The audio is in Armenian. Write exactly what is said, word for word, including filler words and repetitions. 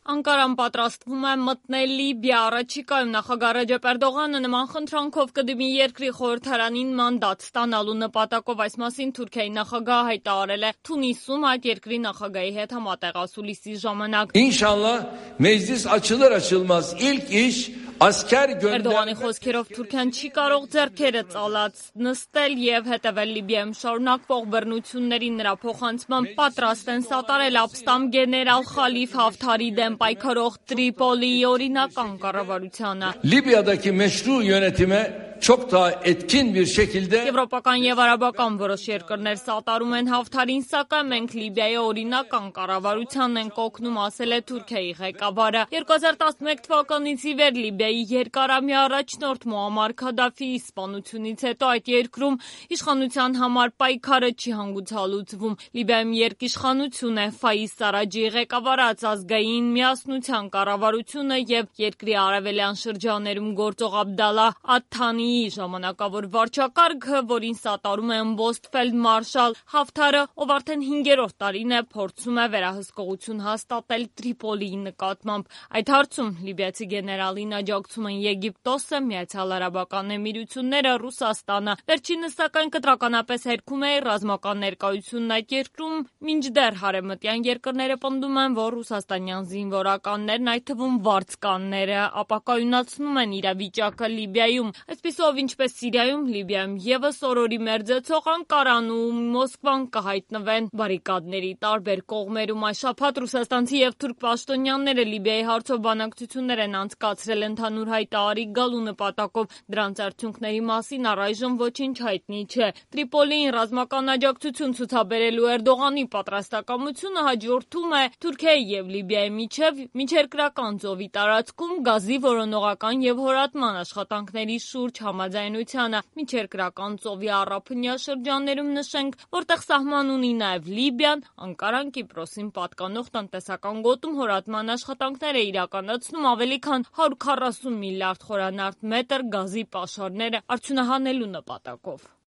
Անկարան պատրաստվում է մտնել Լիբիա, առաջիկայում նախագահ Ռեջեփ Էրդողանը նման խնդրանքով կդիմի երկրի խորհրդարանին մանդատ ստանալու նպատակով, այս մասին Թուրքիայի նախագահը հայտարարել է Թունիսում այդ երկրի նախագահի հետ համատեղ ասուլիսի ժամանակ։ İnşallah meclis açılır açılmaz ilk iş asker göndermek. Էրդողանի խոսքերով Թուրքիան չի կարող ձեռքերը ծալած նստել եւ հետեւել Լիբիայում շարունակվող բռնությունների, նրա փոխանցման պատրաստ են սատարել ապստամբ գեներալ Խալիֆ Հաֆթարի դեմ պայքարող Տրիպոլիի օրինական կառավարությանը։ Libya'daki meşru yönetime çok daha etkin bir şekilde Եվրոպական եւ արաբական որոշ երկրներ սատարում են Հաֆթարին, սակայն մենք Լիբիայի օրինական կառավարությանն ենք օգնում, ասել է Թուրքիայի ղեկավարը։ երկու հազար տասնմեկ թվականից ի վեր Լիբիայի երկարամյա առաջնորդ Մուամմար Քադաֆիի սպանությունից հետո այդ երկրում իշխանության համար պայքարը չի հանգուցալուծվում։ Լիբիայում երկիշխանություն է Ֆայիս Սարաջի ղեկավարած ազգային միասնության կառավարությունը եւ երկրի արևելյան շրջաներում գործող Աբդալլա Աթթանիի ժամանակավոր վարչակարգը, որին սատարում է ըմբոստ ֆելդմարշալ Հաֆթարը, ով արդեն հինգերորդ տարին է փորձում է վերահսկողություն հաստատել Տրիպոլիի նկատմամբ։ Այդ հարցում լիբիացի գեներալին աջակցում են Եգիպտոսը, Միացյալ Արաբական Էմիրությունները, Ռուսաստանը։ Վերջինս սակայն կտրականապես հերքում է ռազմական ներկայությունն այդ երկրում, մինչդեռ հարևմտյան երկրները պնդում են, որ ռուսաստանյան զինվորականներն, այդ թվում վարձկանները, ապակայունացնում են իրավիճակը Լիբիայում։ Այսպիսով, ինչպես Սիրիայում, Լիբիայում եւս օրորի մերձեցող Անկարան ու Մոսկվան կհայտնվեն բարիկադների տարբեր կողմերում։ Այս շաբաթ ռուսաստանցի եւ թուրք պաշտոնյաները Լիբիայի հարցով բանակցություններ են անցկացրել ընդհանուր հայտարարի գալու նպատակով։ Դրանց արդյունքների մասին առայժմ ոչինչ հայտնի չէ։ Տրիպոլիին ռազմական աջակցություն ցուցաբերելու Էրդողանի պատրաստակամությունը հաջորդում է Թուրքիայի եւ Լիբիայի միջև միջերկրական ծովի տարածքում գազի որոնողական եւ հորատման աշխատանքների շուրջ համաձայնությանը։ Միջերկրական ծովի առափնյա շրջաններում նշենք, որտեղ սահման ունի նաեւ Լիբիան, Անկարան Կիպրոսին պատկանող տնտեսական գոտում հորատման աշխատանքներ է իրականացնում ավելի քան հարյուր քառասուն միլիարդ խորանարդ մետր գազի պաշարները արդյունահանելու նպատակով։